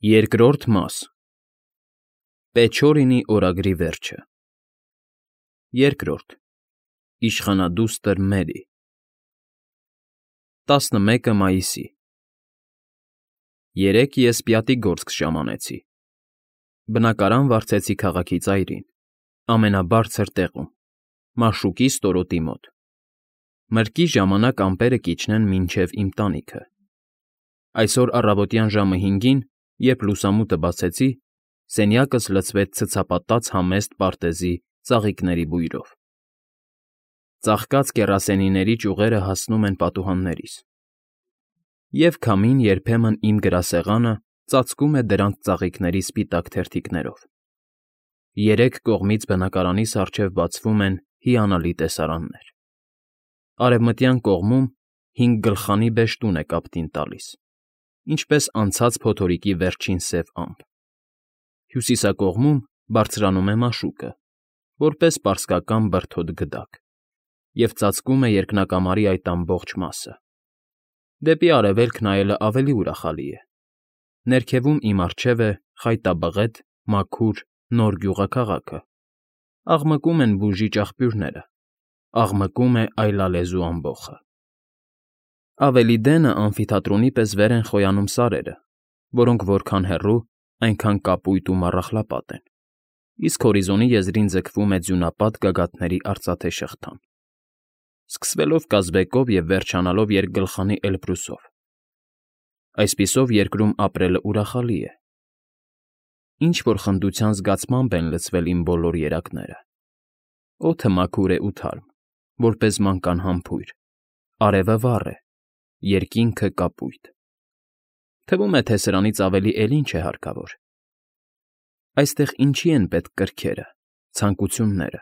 Երկրորդ մաս Պեչորինի օրագրի վերջը Երկրորդ Իշխանադուստր Մերի 11 մայիսի Երեկ ես Պյատիգորսկ ժամանեցի։ Բնակարան վարձեցի քաղաքի ծայրին, ամենաբարձր տեղում, Մաշուկի ստորոտի մոտ։ Մրկի ժամանակ ամպերը կիջնեն մինչև իմ տանիքը։ Այսօր առավոտյան ժամը 5-ին, երբ լուսամուտը բացեցի, սենյակս լցվեց ցցապատած համեստ պարտեզի ծաղիկների բույրով։ Ծաղկած կեռասենիների ճյուղերը հասնում են պատուհաններիս։ Եվ քամին երբեմն իմ գրասեղանը ծածկում է դրանց ծաղիկների սպիտակ թերթիկներով։ Երեք կողմից բնակարանիս առջև բացվում են հիանալի տեսարաններ։ Արևմտյան կողմում 5 գլխանի բեժ տուն է կապտին տալիս, ինչպես անցած փոթորիկի վերջին սև ամպ։ Հյուսիսակողմում բարձրանում է Մաշուկը, որպես պարսկական բրդոտ գդակ, և ծածկում է երկնակամարի այդ ամբողջ մասը։ Դեպի արևելք նայելը ավելի ուրախալի է։ Ներքևում իմ առջև է խայտաբղետ, մաքուր, նոր գյուղաքաղաքը, աղմկում են բուժիչ աղբյուրները, աղմկում է այլալեզու ամբոխը։ Ավելի դենը ամֆիթատրոնի պես վեր են խոյանում սարերը, որոնք որքան հեռու, այնքան կապույտ ու մառախլապատ են, իսկ հորիզոնի եզրին ձգվում է ձյունապատ գագաթների արծաթե շղթան, սկսվելով Կազբեկով և վերջանալով երկգլխանի Էլբրուսով։ Այսպիսով երկրում ապրելը ուրախալի է։ Ինչ-որ խնդության զգացմամբ են լցվել իմ բոլոր երակները։ Օդը մաքուր է ու թարմ, որպես մանկան համբույր, արևը վառ է, երկինքը կապույտ։ Թվում է, թե սրանից ավելի էլ ինչ է հարկավոր։ Այստեղ ինչի են պետք կրքերը, ցանկությունները,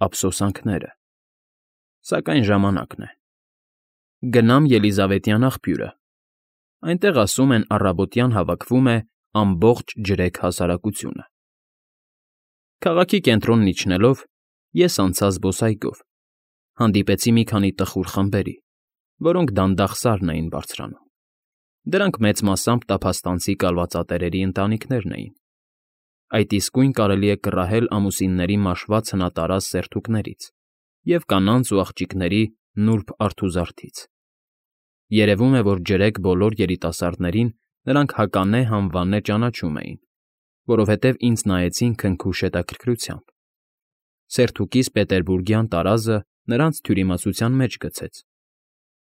ափսոսանքները։ Սակայն ժամանակն է։ Գնամ Ելիզավետյան աղբյուրը։ Այնտեղ, ասում են, առավոտյան հավաքվում է ամբողջ ջրեք հասարակությունը։ Քաղաքի կենտրոնն իջնելով, ես անցա զբոսայգով, հանդիպեցի մի քանի տխուր խմբերի, որոնք դանդաղ սարն էին բարձրանում։ Դրանք մեծ մասամբ տափաստանցի կալվածատերերի ընտանիքներն էին։ Այդ իսկույն կարելի է կռահել ամուսինների մաշված հնատարած սերթուկներից և կանանց ու աղջիկների նուրբ արթուզարդից։ Երևում է, որ ջրեք բոլոր երիտասարդներին նրանք հականե հանվանե ճանաչում էին, որովհետև ինձ նայեցին քնքուշ հետաքրքրությամբ։ Սերթուկիս պետերբուրգյան տարազը նրանց թյուրիմացության մեջ գցեց,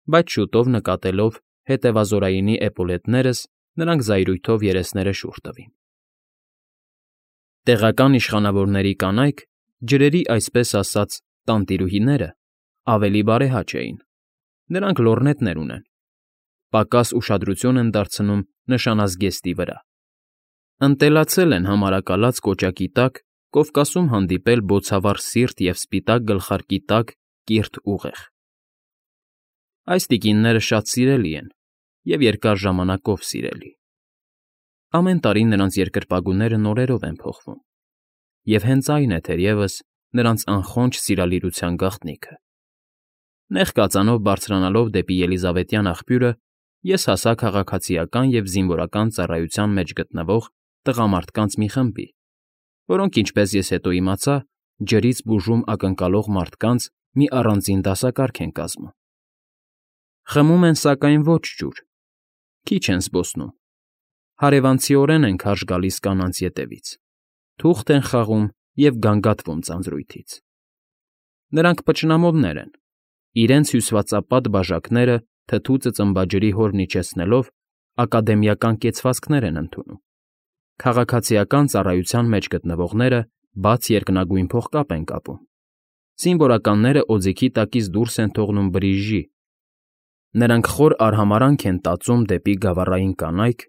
բայց շուտով նկատելով հետևազորայինի էպոլետներս, նրանք զայրույթով երեսները շուռ տվին։ Տեղական իշխանավորների կանայք, ջրերի այսպես ասած տանտիրուհիները, ավելի բարեհաճ էին։ Նրանք լոռնետներ ունեն, պակաս ուշադրություն են դարձնում նշանազգեստի վրա։ Ընտելացել են համարակալած կոճակի տակ Կովկասում հանդիպել բոցավառ սիրտ և սպիտակ գլխարկի տակ կիրթ ուղեղ։ Այս տիկինները շատ սիրելի են և երկար ժամանակով սիրելի։ Ամեն տարի նրանց երկրպագուները նորերով են փոխվում, և հենց այն է, թերևս, նրանց անխոնջ սիրալիրության գաղտնիքը։ Նեղ կածանով բարձրանալով դեպի Ելիզավետյան աղբյուրը, ես հասա քաղաքացիական և զինվորական ծառայության մեջ գտնվող տղամարդկանց մի խմբի, որոնք, ինչպես ես հետո իմացա, ջրից բուժում ակնկալող մարդկանց մի առանձին դասակարգ են կազմում։ Խմում են, սակայն, ոչ ջուր, քիչ են զբոսնում, հարևանցիորեն են քարշ գալիս կանանց ետևից, թուղթ են խաղում և գանգատվում ձանձրույթից։ Նրանք փչնամովներ են, իրենց հյուսվածապատ բաժակները թթու ծծմբաջրի հորն իջեցնելով ակադեմիական կեցվածքներ են ընդունում։ Քաղաքացիական ծառայության մեջ գտնվողները բաց երկնագույն փողկապ են կապում։ Զինվորականները օձիքի տակից դուրս են թողնում բրիժի։ Նրանք խոր արհամարհանք են տածում դեպի գավառային կանայք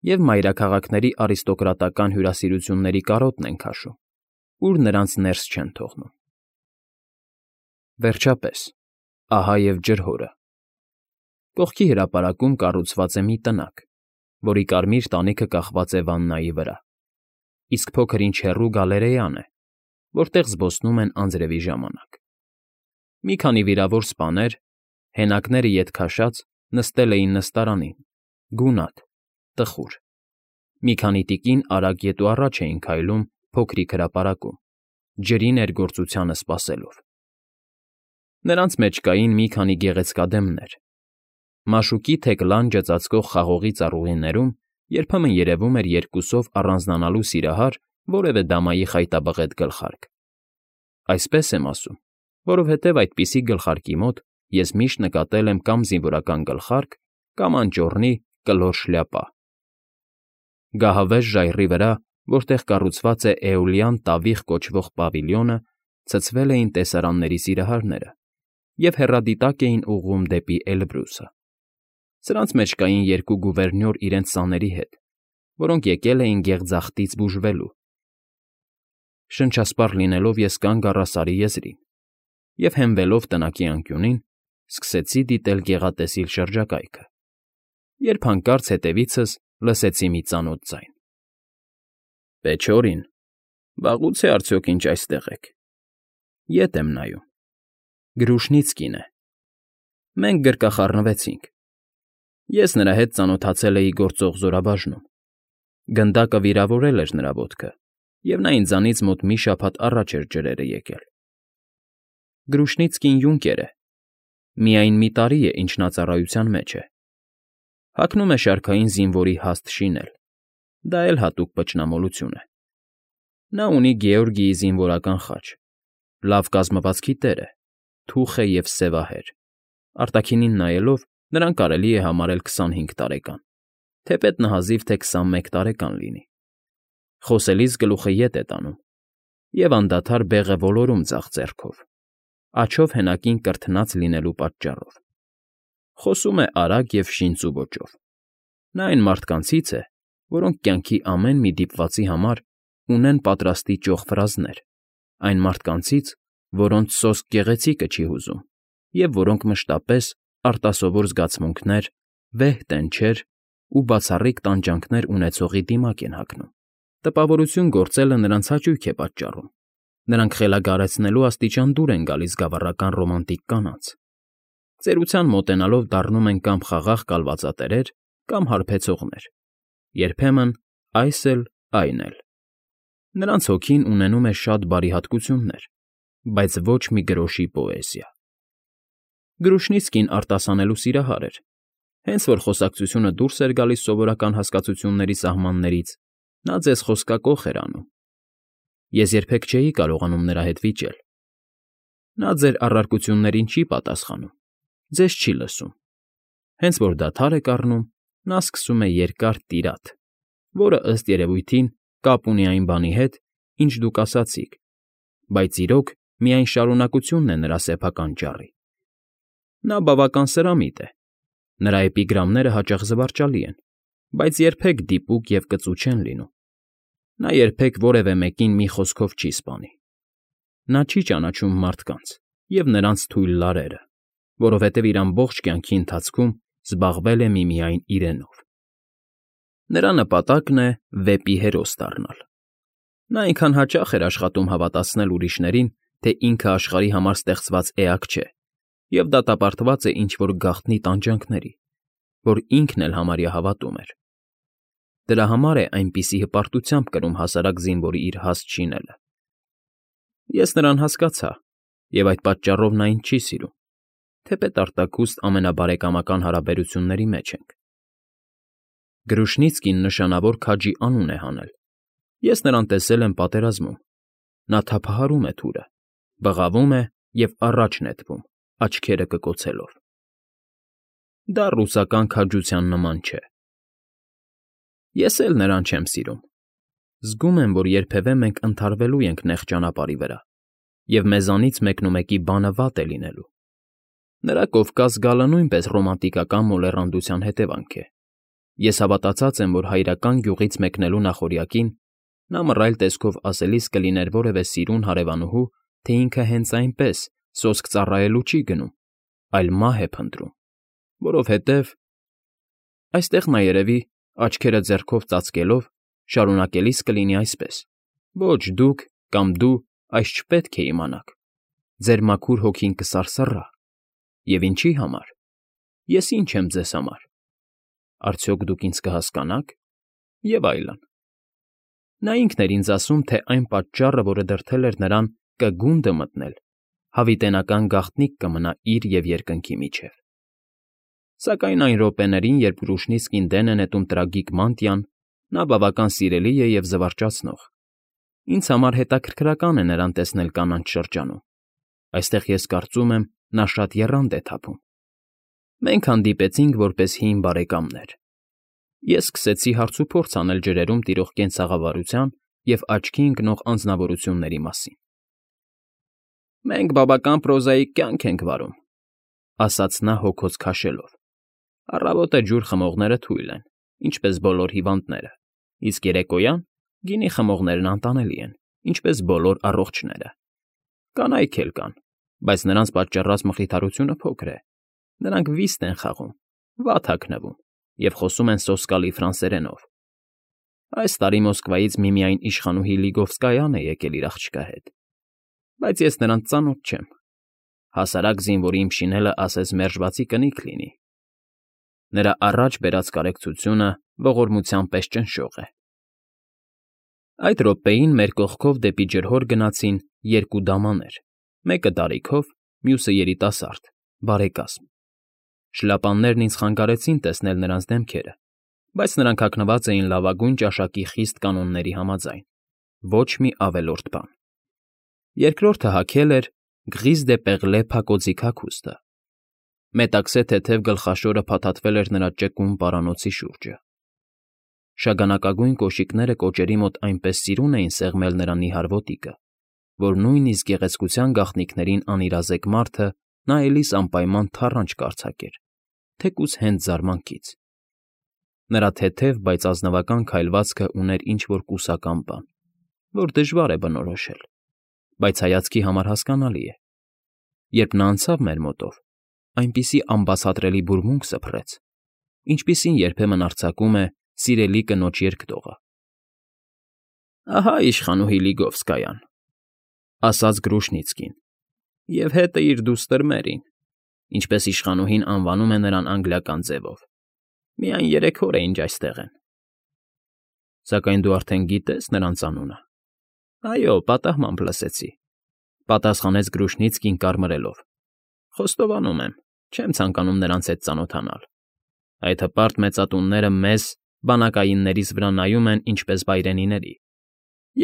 և մայրաքաղաքների արիստոկրատական հյուրասիրությունների կարոտն են քաշում, ուր նրանց ներս չեն թողնում։ Վերջապես, ահա և ջրհորը։ Կողքի հրապարակում կառուցված է մի տնակ, որի կարմիր տանիքը կախված է վաննայի վրա, իսկ փոքր-ինչ հեռու գալերեան է, որտեղ զբոսնում են անձրևի ժամանակ։ Մի քանի վիրավոր սպաներ, հենակները ետ քաշած, նստել էին նստարանին, գունատ, տխուր։ Մի քանի տիկին արագ ետ ու առաջ էին քայլում փոքրիկ հրապարակում, ջրի ներգործությանը սպասելով։ Նրանց մեջ կային մի քանի գեղեցկադեմներ։ Մաշուկի թեք լանջը ծածկող խաղողի ծառուղիներում երբեմն երևում էր երկուսով առանձնանալու սիրահար որևէ դամայի խայտաբղետ գլխարկ։ Այսպես եմ ասում, որովհետև այդպիսի գլխարկի մոտ ես միշտ նկատել եմ կամ զինվորական գլխարկ, կամ անճոռնի կլոր շլյապա։ Գահավեժ ժայռի վրա, որտեղ կառուցված է Էոլյան տավիղ կոչվող պավիլիոնը, ցցվել էին տեսարանների սիրահարները և հեռադիտակ էին ուղղում դեպի Էլբրուսը։ Սրանց մեջ կային երկու գուվերնյոր իրենց սաների հետ, որոնք եկել էին գեղձախտից բուժվելու։ Շնչասպառ լինելով ես կանգ առա Սարի եզրին և, հենվելով տնակի անկյունին, սկսեցի դիտել գեղատեսիլ շրջակայքը, երբ հանկարծ հետևիցս լսեցի մի ծանոթ ձայն. «Պեչորին, վաղուց է արդյոք ինչ այստեղ եք»։ Ետ եմ նայում։ Գրուշնիցկին է։ Մենք գրկախառնվեցինք։ Ես նրա հետ ծանոթացել էի գործող զորաբաժնում։ Գնդակը վիրավորել էր նրա ոտքը, և նա ինձանից մոտ մի շաբաթ առաջ էր ջրերը եկել։ Գրուշնիցկին յունկեր է։ Միայն մի տարի է, ինչ նա ծառայության մեջ է։ Հագնում է շարքային զինվորի հաստ շինել, դա էլ հատուկ պճնամոլություն է։ Նա ունի Գեորգիի զինվորական խաչ, լավ կազմվածքի տեր է, թուխ է և սևահեր։ Արտաքինին նայելով, նրան կարելի է համարել 25 տարեկան, թեպետ նահազիվ թե 21 տարեկան լինի։ Խոսելիս գլուխը ետ է տանում և անդադար բեղ է ոլորում ձախ ձեռքով, աջով հենակին կրթնած լինելու պատճառով։ Խոսում է արագ և շինծու ոճով։ Նա այն մարդկանցից է, որոնք կյանքի ամեն մի դիպվածի համար ունեն պատրաստի ճոխ ֆրազներ, այն մարդկանցից, որոնց սոսկ գեղեցիկը չի հուզում և որոնք մշտապես արտասովոր զգացմունքներ, վեհ տենչեր ու բացառիկ տանջանքներ ունեցողի դիմաք են հագնում։ Տպավորություն գործելը նրանց հաճույք է պատճառում։ Նրանք խելագարեցնելու աստիճան դուր են գալիս գավառական ռոմանտիկ կանանց։ Ծերության մոտենալով դառնում են կամ խաղաղ կալվածատերեր, կամ հարբեցողներ, երբեմն այս էլ, այն էլ։ Նրանց հոգին ունենում է շատ բարի հատկություններ, բայց ոչ մի գրոշի պոեզիա։ Գրուշնիցկին արտասանելու սիրահար էր։ Հենց որ խոսակցությունը դուրս էր գալիս սովորական հասկացությունների սահմաններից, նա ձեզ խոսկակոխ էր անում։ Ես երբեք չէի կարողանում նրա հետ վիճել։ Նա ձեր առարկություններին չի պատասխանում, ձեզ չի լսում։ Հենց որ դադար եք առնում, նա սկսում է երկար տիրադ, որը, ըստ երևույթին, կապ ունի այն բանի հետ, ինչ դուք ասացիք, բայց իրոք միայն շարունակությունն է նրա սեփական ճառի։ Նա բավական սրամիտ է։ Նրա էպիգրամները հաճախ զվարճալի են, բայց երբեք դիպուկ և կծու չեն լինում։ Նա երբեք որևէ մեկին մի խոսքով չի սպանի։ Նա չի ճանաչում մարդկանց և նրանց թույլ լարերը, որովհետև իր ամբողջ կյանքի ընթացքում զբաղվել է միմիայն իրենով։ Նրա նպատակն է վեպի հերոս դառնալ։ Նա այնքան հաճախ էր աշխատում հավատացնել ուրիշներին, թե ինքը աշխարհի համար ստեղծված էակ չէ, և դատապարտված է ինչ֊որ գաղտնի տանջանքների, որ ինքն էլ համարյա հավատում էր։ Դրա համար է այնպիսի հպարտությամբ կրում հասարակ զինվորի իր հաստ շինելը։ Ես նրան հասկացա, և այդ պատճառով նա ինձ չի սիրում, թեպետ արտաքուստ ամենաբարեկամական հարաբերությունների մեջ ենք։ Գրուշնիցկին նշանավոր քաջի անուն է հանել։ Ես նրան տեսել եմ պատերազմում։ Նա թափահարում է թուրը, բղավում է և առաջ նետվում, աչքերը կկոցելով։ Դա ռուսական քաջության նման չէ։ Ես էլ նրան չեմ սիրում։ Զգում եմ, որ երբևէ մենք ընդհարվելու ենք նեղ ճանապարհի վրա, և մեզանից մեկնումեկի բանը վատ է լինելու։ Նրա Կովկաս գալը նույնպես ռոմանտիկական մոլեռանդության հետևանք է։ Ես հավատացած եմ, որ հայրական գյուղից մեկնելու նախօրյակին նա մռայլ տեսքով ասելիս կլիներ որևէ սիրուն հարևանուհու, թե ինքը հենց այնպես սոսկ ծառայելու չի գնում, այլ մահ է փնտրում, որովհետև… Այստեղ նա, երևի, աչքերը ձեռքով ծածկելով, շարունակելիս կլինի այսպես. «Ոչ, դուք կամ դու այս չպետք է իմանաք, ձեր մաքուր հոգին կսարսռա։ Եվ ինչի՞ համար։ Ես ի՞նչ եմ ձեզ համար։ Արդյոք դուք ինձ կհասկանա՞ք»։ Եվ այլն։ Նա ինքն էր ինձ ասում, թե այն պատճառը, որը դրդել էր նրան կգունդը մտնել, հավիտենական գաղտնիք կմնա իր և երկնքի միջև։ Սակայն այն րոպեներին, երբ Կրուշնիցկին դեն է նետում տրագիկ մանտիան, նա բավական սիրելի է և զվարճացնող։ Ինձ համար հետաքրքրական է նրան տեսնել կանաչ շրջանում։ Այստեղ ես կարծում եմ, նա շատ եռանդ է թափում։ Մենք հանդիպեցինք որպես հին բարեկամներ։ Ես սկսեցի հարցուփորձ անել ջրերում տիրող կենցաղավարության և աչքի ընկնող անձնավորությունների մասին։ «Մենք բավական պրոզաիկ կյանք ենք վարում,֊ ասաց նա հոգոց քաշելով։ «Առավոտը ջուր խմողները թույլ են, ինչպես բոլոր հիվանդները, իսկ երեկոյան գինի խմողներն անտանելի են, ինչպես բոլոր առողջները։ Կանայք էլ կան, բայց նրանց պատճառած մխիթարությունը փոքր է։ Նրանք վիստ են խաղում, վատ հագնվում և խոսում են սոսկալի ֆրանսերենով։ Այս տարի Մոսկվայից միմիայն իշխանուհի Լիգովսկայան է եկել իր աղջկա հետ, բայց ես նրանց ծանոթ չեմ։ Հասարակ զինվորի իմ շինելը ասես մերժվածի կնիք լինի։ Նրա առաջ բերած կարեկցությունը ողորմության պես ճնշող է»։ Այդ րոպեին մեր կողքով դեպի ջրհոր գնացին երկու դամաներ, մեկը դարիքով, մյուսը երիտասարդ, բարեկազմ։ Շլապաններն ինձ խանգարեցին տեսնել նրանց դեմքերը, բայց նրանք հագնված էին լավագույն ճաշակի խիստ կանոնների համաձայն, ոչ մի ավելորդ բան։ Երկրորդը հագել էր Grise de Perle փակոծիկ հագուստը։ Մետաքսե թեթև գլխաշորը փաթաթվել էր նրա ճկուն պարանոցի շուրջը։ Շագանակագույն կոշիկները կոճերի մոտ այնպես սիրուն էին սեղմել նրա նիհար ոտիկը, որ նույնիսկ գեղեցկության գաղտնիքներին անիրազեկ մարդը նայելիս անպայման թառանչ կարձակեր, թեկուզ հենց զարմանքից։ Նրա թեթև, բայց ազնվական քայլվածքը ուներ ինչ֊որ կուսական բան, որ դժվար է բնորոշել, բայց հայացքի համար հասկանալի է։ Երբ նա անցավ մեր մոտով, այնպիսի անբացատրելի բուրմունք սփռեց, ինչպիսին երբեմն արձակում է սիրելի կնոջ երգտողը։ «Ահա իշխանուհի Լիգովսկայան,֊ ասաց Գրուշնիցկին,֊ և հետը իր դուստր Մերին, ինչպես իշխանուհին անվանում է նրան անգլիական ձևով։ Միայն 3 օր է, ինչ այստեղ են»։ «Սակայն դու արդեն գիտե՞ս նրանց անունը»։ «Այո, պատահմամբ լսեցի,֊ պատասխանեց Գրուշնիցկին կարմրելով։ «Խոստովանում եմ, չեմ ցանկանում նրանց հետ ծանոթանալ։ Այդ հպարտ մեծատունները մեզ, բանակայիններիս վրա նայում են ինչպես վայրենիների,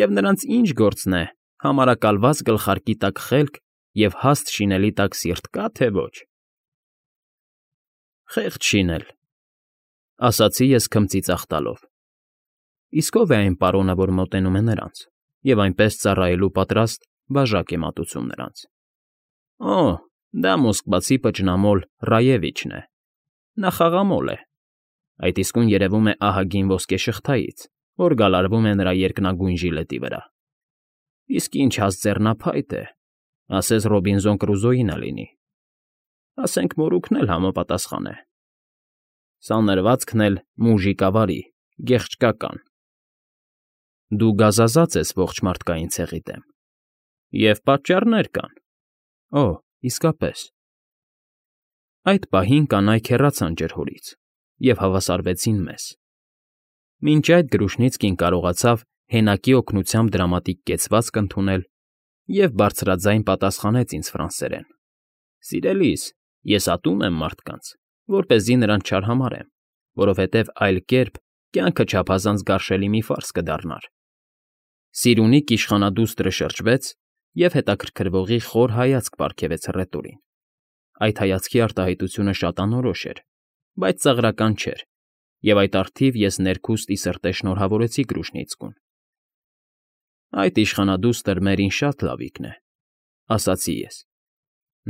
և նրանց ինչ գործն է համարակալված գլխարկի տակ խելք և հաստ շինելի տակ սիրտ կա՞, թե ոչ»։ «Խեղճ շինել,֊ ասացի ես քմծի ծախտալով։ Իսկ ո՞վ է այն պարոնը, որ մոտենում է նրանց և այնպես ծառայելու պատրաստ բաժակ է մատուցում նրանց։ Օ, դա մոսկվացի պճնամոլ Ռաևիչն է։ Նա խաղամոլ է։ Այդ իսկույն երևում է ահագին ոսկե շղթայից, որ գալարվում է նրա երկնագույն ժիլետի վրա։ Իսկ ինչ հաստ ձեռնափայտ է, ասես Ռոբինզոն Կրուզոյինը լինի։ Ասենք մորուքն էլ համապատասխան է։ Սանրվածքն էլ մուժիկավարի, գեղեցկական։ Դու գազազած ես ողջ մարդկային ցեղի դեմ։ Եվ պատճառներ կան։ Օ, իսկապես։ Այդ պահին կանայք հեռացան ջրհորից և հավասարվեցին մեզ։ Մինչ այդ Գրուշնիցկին կարողացավ հենակի օգնությամբ դրամատիկ կեցվածք ընդունել և բարձրաձայն պատասխանեց ինձ ֆրանսերեն։ «Սիրելիս, ես ատում եմ մարդկանց, որպեսզի նրանց չարհամարհեմ, որովհետև այլ կերպ կյանքը չափազանց գարշելի մի ֆարս կդառնար»։ Սիրունիկ իշխանադուստրը շրջվեց և հետաքրքրվողի խոր հայացք պարգևեց հռետորին։ Այդ հայացքի արտահայտությունը շատ անորոշ էր, բայց ծաղրական չէր, և այդ առթիվ ես ներքուստ ի սրտե շնորհավորեցի Գրուշնիցկուն։ «Այդ իշխանադուստր Մերին շատ լավիկն է,֊ ասացի ես։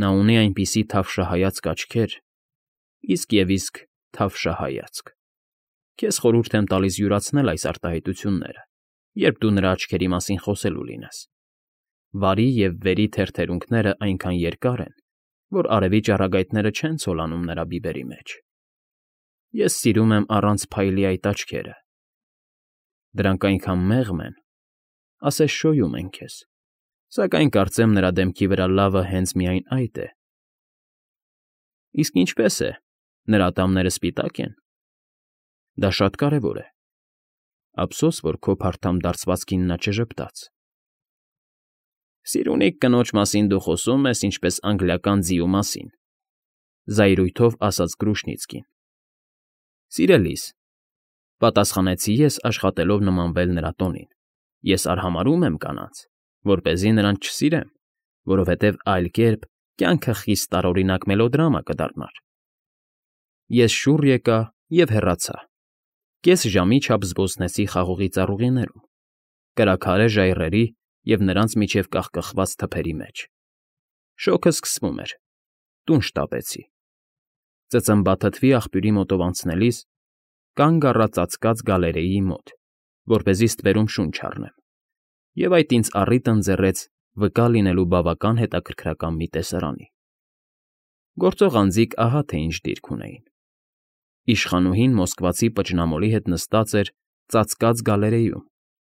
Նա ունի այնպիսի թավշահայացք աչքեր, իսկ թավշահայացք։ Քեզ խորհուրդ եմ տալիս յուրացնել այս արտահայտությունները, երբ դու նրա աչքերի մասին խոսելու լինես։ Վարի և վերի թերթերունքներն այնքան երկար են, որ արևի ճառագայթները չեն ցոլանում նրա բիբերի մեջ։ Ես սիրում եմ առանց փայլի այդ աչքերը։ Դրանք այնքան մեղմ են, ասես շոյում են քեզ, սակայն կարծեմ նրա դեմքի վրա լավը հենց միայն այդ է։ Իսկ ինչպե՞ս է, նրա ատամները սպիտա՞կ են։ Դա շատ կարևոր է։ Ափսոս, որ քո փարթամ դարձվածքին նա չժպտաց։ Սիրունիկ կնոջ մասին դու խոսում ես, ինչպես անգլիական ձիու մասին,֊ զայրույթով ասաց Կրուշնիցկին։ Սիրելիս,֊ պատասխանեցի ես, աշխատելով նմանվել նրա տոնին,֊ ես արհամարհում եմ կանանց, որպեսզի նրանց չսիրեմ, որովհետև այլ կերպ կյանքը խիստ տարօրինակ մելոդրամա կդառնար։ Ես շուռ եկա և հեռացա։ Կես ժամի չափ զբոսնեցի խաղողի ծառուղիներում, կրաքարե ժայռերի և նրանց միջև կախկխված թփերի մեջ։ Շոգը սկսվում էր, տուն շտապեցի։ Ծծմբաթթվի աղբյուրի մոտով անցնելիս կանգ առա ծածկած գալերեայի մոտ, որպեսզի ստվերում շունչ առնեմ, և այդ ինձ առիթ ընձեռեց վկա լինելու բավական հետաքրքրական մի տեսարանի։ Գործող անձիկ ահա թե ինչ դիրք ունեին։ Իշխանուհին մոսկվացի պճնամոլի հետ նստած էր ծածկած գալերեյում,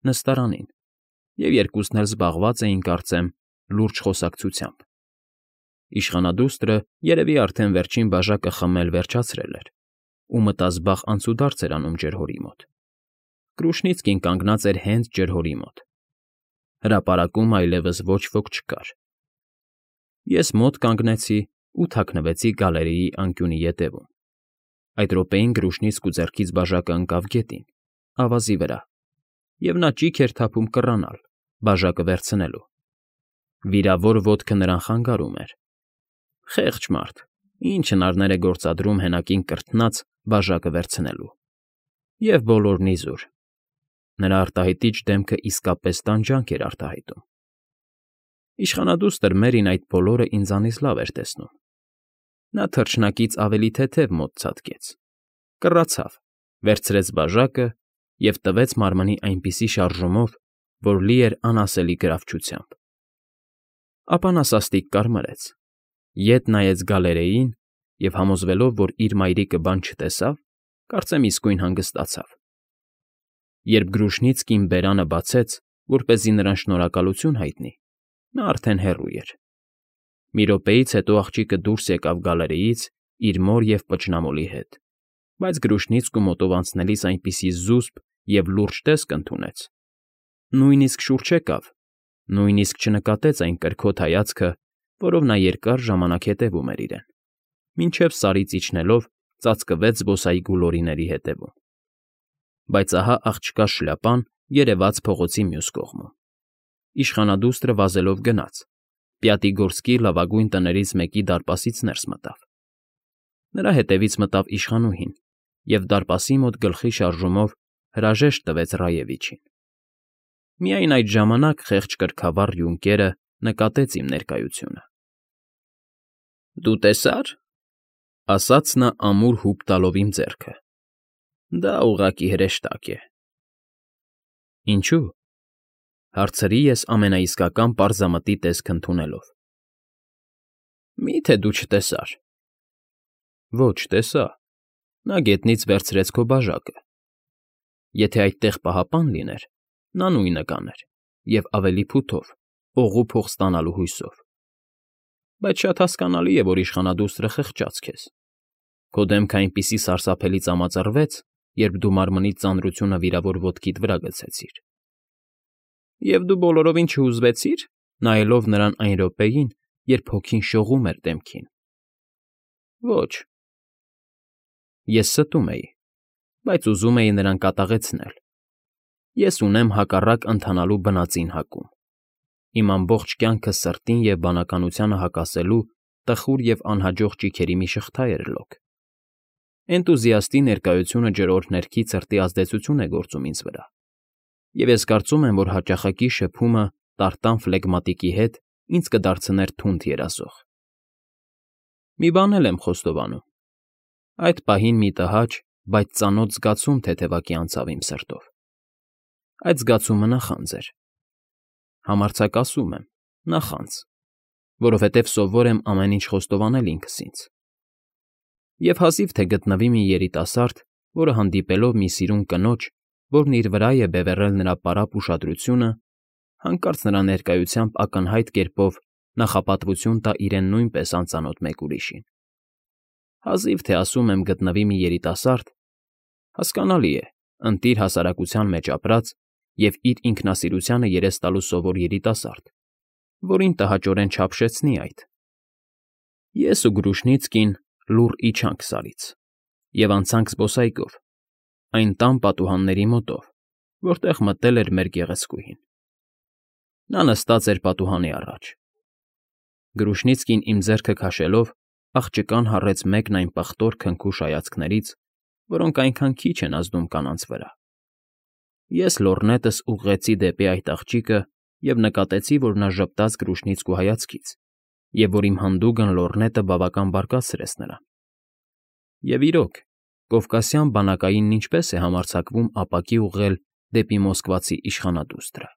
նստարանին, և երկուսն էլ զբաղված էին, կարծեմ, լուրջ խոսակցությամբ։ Իշխանադուստրը երևի արդեն վերջին բաժակը խմել վերջացրել էր ու մտազբաղ անցուդարձ էր անում ջրհորի մոտ։ Կրուշնիցկին կանգնած էր հենց ջրհորի մոտ։ Հրապարակում այլևս ոչ ոք չկար։ Ես մոտ կանգնեցի ու թաքնվեցի գալերեի անկյունի ետևում։ Այդ րոպեին Կրուշնիցկու ձեռքից բաժակը ընկավ գետին, ավազի վրա, և նա ճիգ էր թափում կռանալ, բաժակը վերցնելու։ Վիրավոր ոտքը նրան խանգարում էր։ Խեղճ մարդ, ինչ հնարներ է գործադրում հենակին կրթնած բաժակը վերցնելու։ Եվ բոլորն իզուր։ Նրա արտահայտիչ դեմքը իսկապես տանջանք էր արտահայտում։ Իշխանադուստր Մերին այդ բոլորը ինձանից լավ էր տեսնում։ Նա թռչնակից ավելի թեթև մոտ ցատկեց, կռացավ, վերցրեց բաժակը և տվեց մարմնի այնպիսի շարժումով, որ լի էր անասելի գրավչությամբ։ Ապա նա սաստիկ կարմրեց, ետ նայեց գալերեյին և, համոզվելով, որ իր մայրիկը բան չտեսավ, կարծեմ իսկույն հանգստացավ։ Երբ Կրուշնիցկին բերանը բացեց, որպեսզի նրան շնորհակալություն հայտնի, նա արդեն հեռու էր։ Մի րոպեից հետո աղջիկը դուրս եկավ գալերեից իր մոր և պճնամոլի հետ, բայց Կրուշնիցկու մոտով անցնելիս այնպիսի զուսպ և լուրջ տեսք ընդունեց։ Նույնիսկ շուռ չեկավ, նույնիսկ չնկատեց այն կրքոտ հայացքը, որով նա երկար ժամանակ հետևում էր իրեն, մինչև Սարից իջնելով ծածկվեց զբոսայգու լորիների հետևում։ Բայց ահա աղջկա շլյապան երևաց փողոցի մյուս կողմում։ Իշխանադուստրը վազելով գնաց, Պյատիգորսկի լավագույն տներից մեկի դարպասից ներս մտավ։ Նրա հետևից մտավ իշխանուհին և դարպասի մոտ գլխի շարժումով հրաժեշտ տվեց Ռաևիչին։ Միայն այդ ժամանակ խեղճ կրքավառ յունկերը նկատեց իմ ներկայությունը։ «Դու տեսա՞ր,֊ ասաց նա ամուր հուպ տալով իմ ձեռքը,֊ դա ուղղակի հրեշտակ է»։ Ինչո՞ւ,֊ հարցրի ես ամենաիսկական պարզամտի տեսք ընդունելով։ Մի՞թե դու չտեսար։ Ոչ, տեսա։ Նա գետնից վերցրեց քո բաժակը։ Եթե այդտեղ պահապան լիներ, նա նույնը կաներ, և ավելի փութով, օղու փող ստանալու հույսով։ Բայց շատ հասկանալի է, որ իշխանադուստրը խղճաց քեզ։ Քո դեմքը այնպիսի սարսափելի ծամածռվեց, երբ դու մարմնիդ ծանրությունը վիրավոր ոտքիդ վրա գցեցիր։ Եվ դու բոլորովին չհուզվեցի՞ր, նայելով նրան այն րոպեին, երբ հոգին շողում էր դեմքին։ Ոչ։ Ես ստում էի, բայց ուզում էի նրան կատաղեցնել։ Ես ունեմ հակառակ ընթանալու բնածին հակում։ Իմ ամբողջ կյանքը սրտին և բանականությանը հակասելու տխուր և անհաջող ճիգերի մի շղթա էր լոկ։ Էնտուզիաստի ներկայությունը ջրօրհ ներքի ցրտի ազդեցություն է գործում ինձ վրա, և ես կարծում եմ, որ հաճախակի շփումը տարտան ֆլեգմատիկի հետ ինձ կդարձներ թունդ երազող։ Մի բան էլ եմ խոստովանում. այդ պահին մի տհաճ, բայց ծանոթ զգացում թեթևակի անցավ իմ սրտով։ Այդ զգացումը նախանձ էր։ Համարձակ ասում եմ՝ նախանձ, որովհետև սովոր եմ ամեն ինչ խոստովանել ինքս ինձ։ Եվ հազիվ թե գտնվի մի երիտասարդ, որը հանդիպելով մի սիրուն կնոջ, որն իր վրա է բևեռել նրա պարապ ուշադրությունը, հանկարծ նրա ներկայությամբ ակնհայտ կերպով նախապատվություն տա իրեն նույնպես անծանոթ մեկ ուրիշին։ Հազիվ թե ասում եմ գտնվի մի երիտասարդ, հասկանալի է, ընտիր հասարակության մեջ ապրած և իր ինքնասիրությանը երես տալու սովոր երիտասարդ, որին տհաճորեն չափշեցնի այդ։ Ես ու Գրուշնիցկին լուռ իջանք Սարից և անցանք զբոսայգով, այն տան պատուհանների մոտով, որտեղ մտել էր մեր գեղեցկուհին։ Նա նստած էր պատուհանի առաջ։ Գրուշնիցկին իմ ձեռքը քաշելով աղջկան հառեց մեկն այն պղտոր քնքուշ հայացքներից, որոնք այնքան քիչ են ազդում կանանց վրա։ Ես լոռնետս ուղղեցի դեպի այդ աղջիկը և նկատեցի, որ նա ժպտաց Գրուշնիցկու հայացքից և որ իմ հանդուգն լոռնետը բավական բարկացրեց նրան։ Եվ իրոք, կովկասյան բանակայինն ինչպե՞ս է համարձակվում ապակի ուղղել դեպի մոսկվացի իշխանադուստր։